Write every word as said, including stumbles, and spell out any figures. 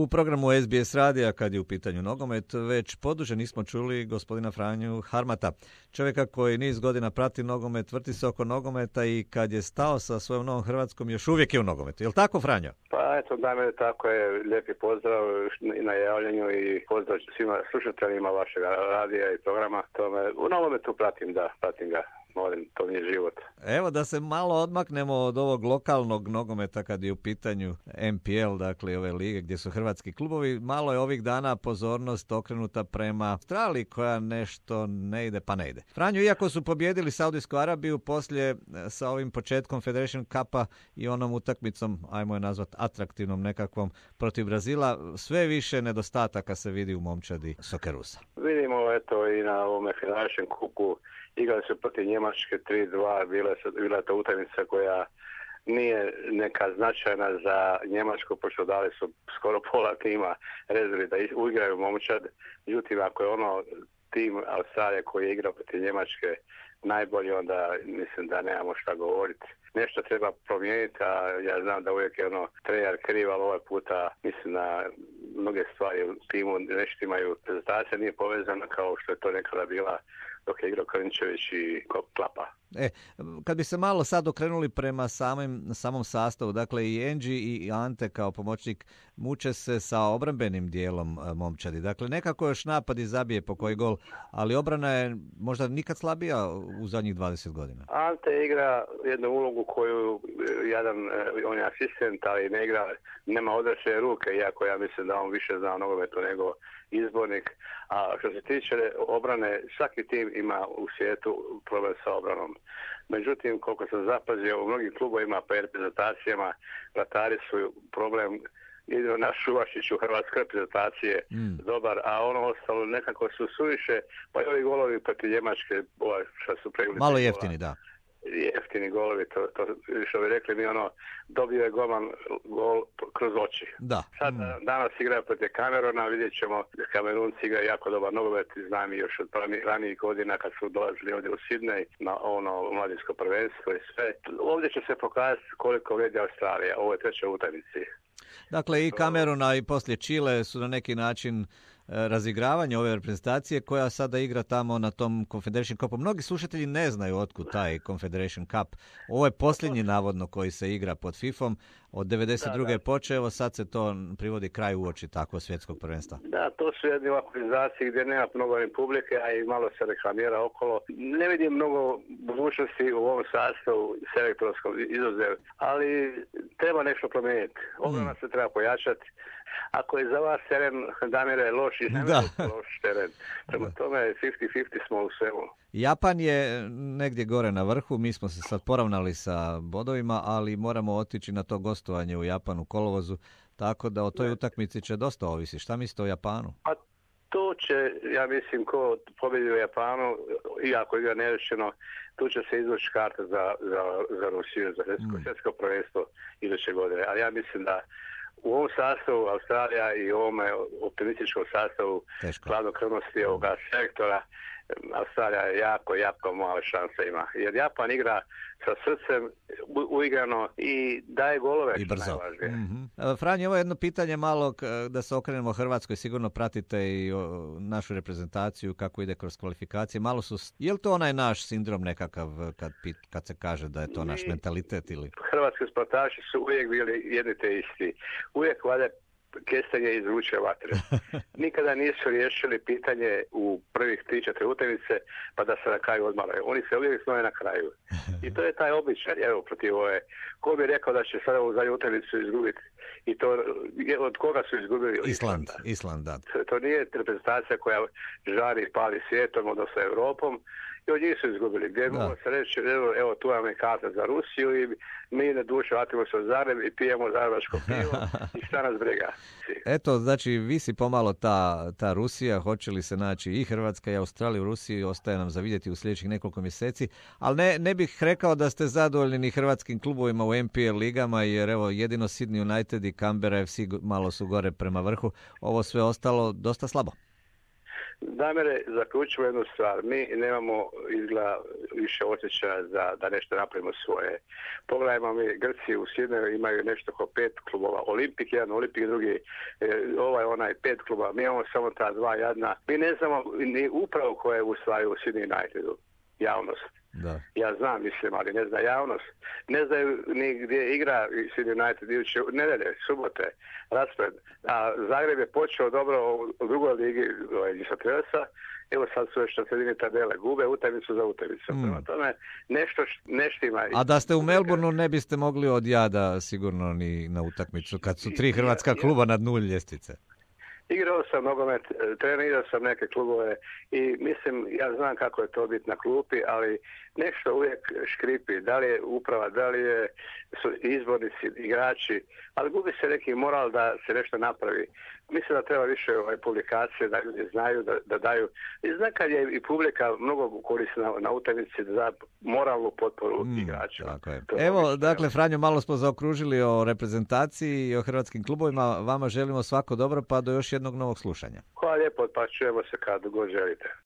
U programu S B S radija, kad je u pitanju nogomet, već poduže nismo čuli gospodina Franju Harmata, čovjeka koji niz godina prati nogomet, vrti se oko nogometa i kad je stao sa svojom Novom Hrvatskom još uvijek je u nogometu. Je li tako, Franjo? Pa eto, da me tako je, lijepi pozdrav i na javljanju i pozdrav svima slušateljima vašeg radija i programa. Tome, u nogometu pratim, da, pratim ga. Molim, to mi je život. Evo da se malo odmaknemo od ovog lokalnog nogometa kad je u pitanju M P L, dakle ove lige gdje su hrvatski klubovi. Malo je ovih dana pozornost okrenuta prema Australiji koja nešto ne ide pa ne ide. Franjo, iako su pobjedili Saudijsku Arabiju poslije sa ovim početkom Federation Cupa i onom utakmicom, ajmo je nazvat atraktivnom nekakvom, protiv Brazila, sve više nedostataka se vidi u momčadi Sokerusa. Vidimo eto i na ovome Federation Cupu igrali su protiv Njemačke tri dva, bila, bila je to utakmica koja nije neka značajna za Njemačku, pošto dali su skoro pola tima rezervi da uigraju momčad. Međutim, ako je ono tim Australije koji je igrao protiv Njemačke najbolji, onda mislim da nemamo šta govoriti. Nešto treba promijeniti, a ja znam da uvijek je ono trener kriv, ali ovaj puta mislim da mnoge stvari u timu nešto imaju. Prezentacija nije povezana kao što je to nekada bila dok je igrao Krnčević i Klapa. E, kad bi se malo sad okrenuli prema samim, samom sastavu, dakle i Enđi i Ante kao pomoćnik muče se sa obrambenim dijelom momčadi. Dakle, nekako još napad i zabije po koji gol, ali obrana je možda nikad slabija u zadnjih dvadeset godina. Ante igra jednu ulogu koju jedan, on je asistent, ali ne igra, nema odrasle ruke, iako ja mislim da on više zna o nogometu nego izbornik. A što se tiče obrane, svaki tim ima u svijetu problem sa obranom. Međutim, koliko sam zapazio, u mnogim klubovima pa reprezentacijama vratari su problem. Jedino naš Šuvašić u hrvatske reprezentacije mm. dobar, a ono ostalo nekako su suviše, pa i ovi golovi protiv Njemačke, ovaj, što su pregledali. Malo jeftini, da. Jeftini golovi, to, to što bi rekli mi ono, dobio je golman gol kroz oči. Da. Sad mm. danas igra protiv Kamerona, vidjet ćemo, Kamerunci igra jako dobar nogomet, znam i još od ranijih godina kad su dolazili ovdje u Sidney na ono mladinsko prvenstvo i sve. Ovdje će se pokazati koliko vrijedi Australija, ovo je treća utakmica. Dakle, i Kameruna i poslije Čile su na neki način razigravanje ove reprezentacije koja sada igra tamo na tom Confederation Cupu. Mnogi slušatelji ne znaju otkud taj Confederation Cup. Ovo je posljednji navodno koji se igra pod fifom. Od devedeset druge je počeo, sad se to privodi kraj uoči takvog svjetskog prvenstva. Da, to su jedne organizacije gdje nema mnogo ni publike, a i malo se reklamira okolo. Ne vidim mnogo budućnosti u ovom sastavu selektorskom izuzev, ali treba nešto promijeniti. Obrana mm. se treba pojačati. Ako je za vas teren, Damire, loš i loš teren. Prema tome fifty fifty smo u svemu. Japan je negdje gore na vrhu, mi smo se sad poravnali sa bodovima, ali moramo otići na to gostovanje u Japanu kolovozu, tako da o toj utakmici će dosta ovisi. Šta mislite o Japanu? A to će, ja mislim, ko pobjedi u Japanu, iako igra nerešeno, tu će se izvući karta za, za, za Rusiju, za svjetsko mm. prvenstvo iduće godine. Ali ja mislim da u ovom sastavu Australija i u ovom optimističkom sastavu hladnokrvnosti ovoga sektora Australija jako, jako male šanse ima. Jer Japan igra sa srcem uigrano i daje golove. I brzo. Mm-hmm. Franjo, ovo je jedno pitanje malo da se okrenemo Hrvatskoj. Sigurno pratite i našu reprezentaciju kako ide kroz kvalifikacije. Malo su, je li to onaj naš sindrom nekakav kad, kad se kaže da je to naš mentalitet? Ili? Hrvatski sportaši su uvijek bili jedni te isti. Uvijek valja kestenje izvuče vatre. Nikada nisu riješili pitanje u prvih tri četiri utakmice pa da se na kraju odmaraju. Oni se uvijek znaju na kraju. I to je taj običaj, evo, protiv ove. Ko bi rekao da će sada u zadnju utakmicu izgubiti? I to od koga su izgubili? Island, Island, da. To, to nije reprezentacija koja žari i pali svijetom, odnosno Europom. I od njih su izgubili. Gdje mogu se reći, evo, evo tu vam je karta za Rusiju i mi na duše vratimo se u Zagreb i pijemo zagrebačko pivo i šta nas briga. Eto, znači, visi pomalo ta, ta Rusija, hoće li se naći i Hrvatska i Australija u Rusiji, ostaje nam za vidjeti u sljedećih nekoliko mjeseci, ali ne, ne bih rekao da ste zadovoljni ni hrvatskim klubovima u M P L ligama, jer evo, jedino Sydney United i Canberra F C malo su gore prema vrhu, ovo sve ostalo dosta slabo. Damire, zaključimo jednu stvar. Mi nemamo izgleda više osjećaja za da nešto napravimo svoje. Pogledajmo mi, Grci u Sidneju imaju nešto oko pet klubova. Olimpik jedan, Olimpik drugi, ovaj onaj pet kluba. Mi imamo samo ta dva jadna. Mi ne znamo ni upravo ko je u stvari u Sydney Unitedu. Javnost. Da. Ja znam, mislim, ali ne zna javnost. Ne znaju ni gdje igra Sydney United iduće nedelje, subote, raspored. A Zagreb je počeo dobro u drugoj ligi Gisatresa. Evo sad su još na sredini tabele. Gube utakmicu za utakmicu. Mm. Prema tome nešto neštima. A da ste u Melbourneu ne biste mogli od jada sigurno ni na utakmicu kad su tri hrvatska kluba na dnu ljestvice. Igrao sam nogomet, trenirao sam neke klubove i mislim, ja znam kako je to biti na klupi, ali nešto uvijek škripi. Da li je uprava, da li je su izbornici, igrači, ali gubi se neki moral da se nešto napravi. Mislim da treba više ovaj, publikacije, da ljudi znaju, da, da daju. I znam kad je i publika mnogo korisna na, na utakmici za moralnu potporu mm, igračima. Evo, dakle, Franjo, malo smo zaokružili o reprezentaciji i o hrvatskim klubovima. Vama želimo svako dobro, pa do još jednog novog slušanja. Hvala lijepo, pa čujemo se kad god želite.